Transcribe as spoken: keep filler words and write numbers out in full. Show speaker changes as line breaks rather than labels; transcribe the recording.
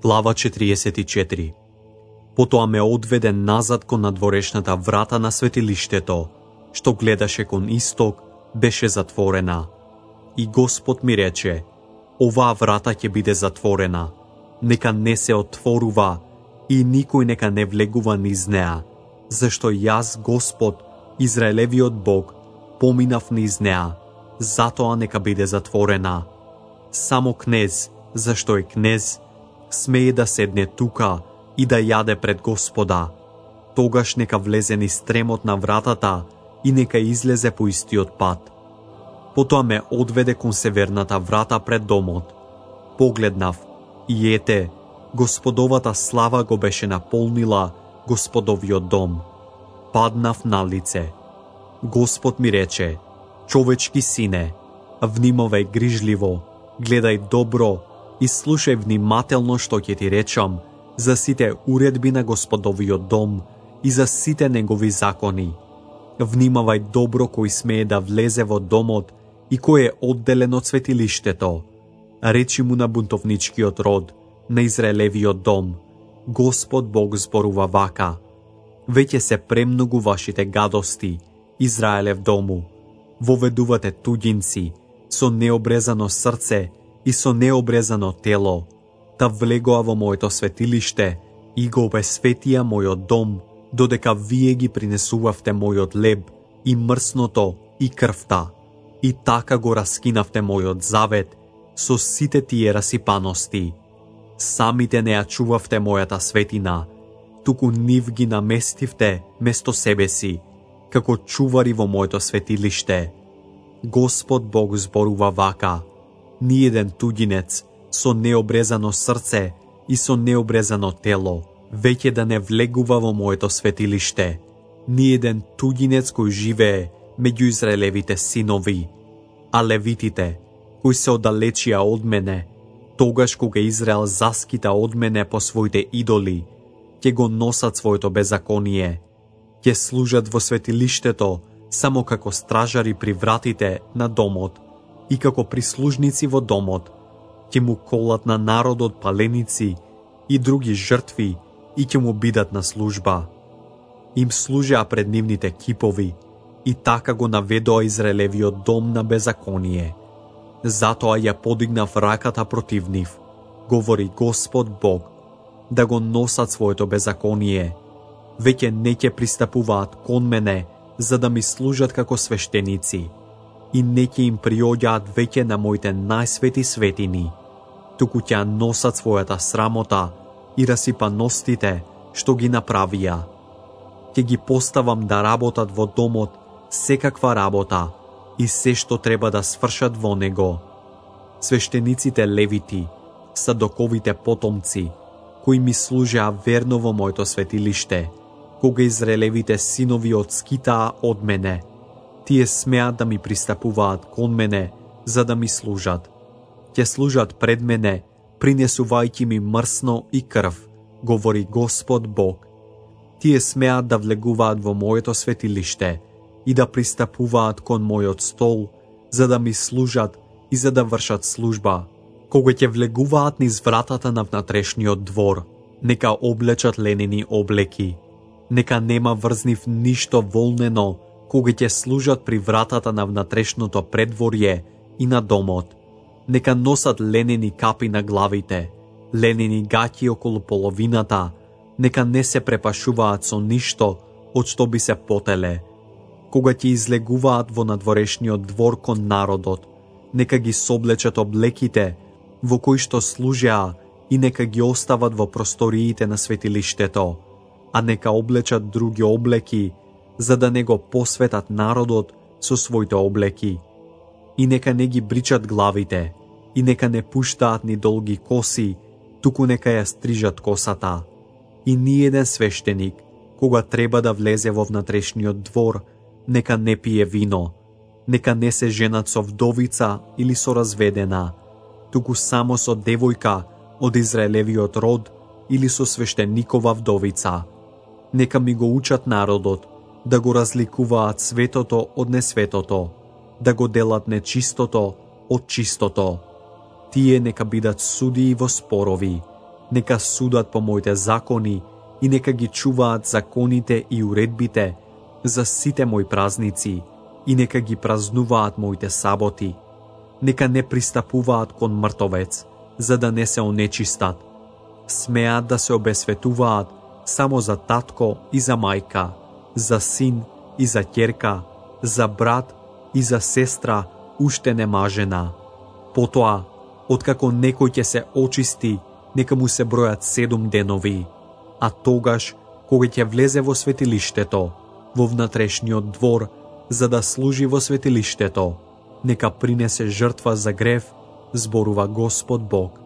Глава четириесет и четири. Потоа ме одведе назад кон надворешната врата на светилиштето, што гледаше кон исток, беше затворена. И Господ ми рече: оваа врата ќе биде затворена, нека не се отворува и никој нека не влегува низ неа, зашто јас, Господ, Израелевиот Бог, поминав низ неа, затоа нека биде затворена. Само кнез, зашто е кнез, смее да седне тука и да јаде пред Господа. Тогаш нека влезе низ стремот на вратата и нека излезе по истиот пат. Потоа ме одведе кон северната врата пред домот. Погледнав и ете, Господовата слава го беше наполнила Господовиот дом. Паднав на лице. Господ ми рече: човечки сине, внимавај грижливо, гледај добро и слушај внимателно што ќе ти речам за сите уредби на Господовиот дом и за сите негови закони. Внимавај добро кој смее да влезе во домот и кој е одделен од светилиштето. Речи му на бунтовничкиот род, на Израелевиот дом: Господ Бог зборува вака: веќе се премногу вашите гадости, Израелев дому. Воведувате туѓинци со необрезано срце и со необрезано тело, та влегоа во моето светилиште и го обесветија мојот дом, додека вие ги принесувавте мојот леб и мрсното и крвта, и така го раскинавте мојот завет со сите тие расипаности. Самите не ја чувавте мојата светина, туку нив ги наместивте место себе си, како чувари во моето светилиште. Господ Бог зборува вака: ниеден туѓинец со необрезано срце и со необрезано тело веќе да не влегува во моето светилиште. Ниеден туѓинец кој живее меѓу Израелевите синови, а левитите, кои се оддалечија од мене, тогаш кога Израел заскита од мене по своите идоли, ќе го носат своето беззаконие, ќе служат во светилиштето само како стражари при вратите на домот и како прислужници во домот, ќе му колат на народот паленици и други жртви и ќе му бидат на служба. Им служеа пред нивните кипови и така го наведоа Израелевиот дом на беззаконие. Затоа ја подигнав раката против нив, говори Господ Бог, да го носат своето беззаконие. Веќе не ќе пристапуваат кон мене за да ми служат како свештеници и не ќе им приоѓаат веќе на моите најсвети светини, туку ќе носат својата срамота и расипаностите што ги направија. Ќе ги поставам да работат во домот секаква работа и се што треба да свршат во него. Свештениците левити, садоковите потомци, кои ми служеа верно во моето светилиште, кога Израелевите синови одскитаа од мене, тие смеат да ми пристапуваат кон мене за да ми служат. Ќе служат пред мене, принесувајќи ми мрсно и крв, говори Господ Бог. Тие смеат да влегуваат во моето светилиште и да пристапуваат кон мојот стол, за да ми служат и за да вршат служба. Кога ќе влегуваат низ вратата на внатрешниот двор, нека облечат ленени облеки. Нека нема врз нив ништо волнено, кога ќе служат при вратата на внатрешното предворје и на домот. Нека носат ленени капи на главите, ленени гаќи околу половината, нека не се препашуваат со ништо од што би се потеле. Кога ќе излегуваат во надворешниот двор кон народот, нека ги соблечат облеките во кои што служеа и нека ги остават во просториите на светилиштето, а нека облечат други облеки, за да не го посветат народот со своите облеки. И нека не ги бричат главите, и нека не пуштаат ни долги коси, туку нека ја стрижат косата. И ниеден свештеник, кога треба да влезе во внатрешниот двор, нека не пие вино, нека не се женат со вдовица или со разведена, туку само со девојка од Израелевиот род или со свештеникова вдовица. Нека ми го учат народот да го разликуваат светото од несветото, да го делат нечистото од чистото. Тие нека бидат судии во спорови нека судат по моите закони и нека ги чуваат законите и уредбите за сите мои празници и нека ги празнуваат моите саботи. Нека не пристапуваат кон мртовец, за да не се онечистат. Смеат да се обесветуваат само за татко и за мајка, за син и за ќерка, за брат и за сестра, уште нема жена. Потоа, откако некој ќе се очисти, нека му се бројат седум денови, а тогаш, кога ќе влезе во светилиштето, во внатрешниот двор, за да служи во светилиштето, нека принесе жртва за грев, зборува Господ Бог.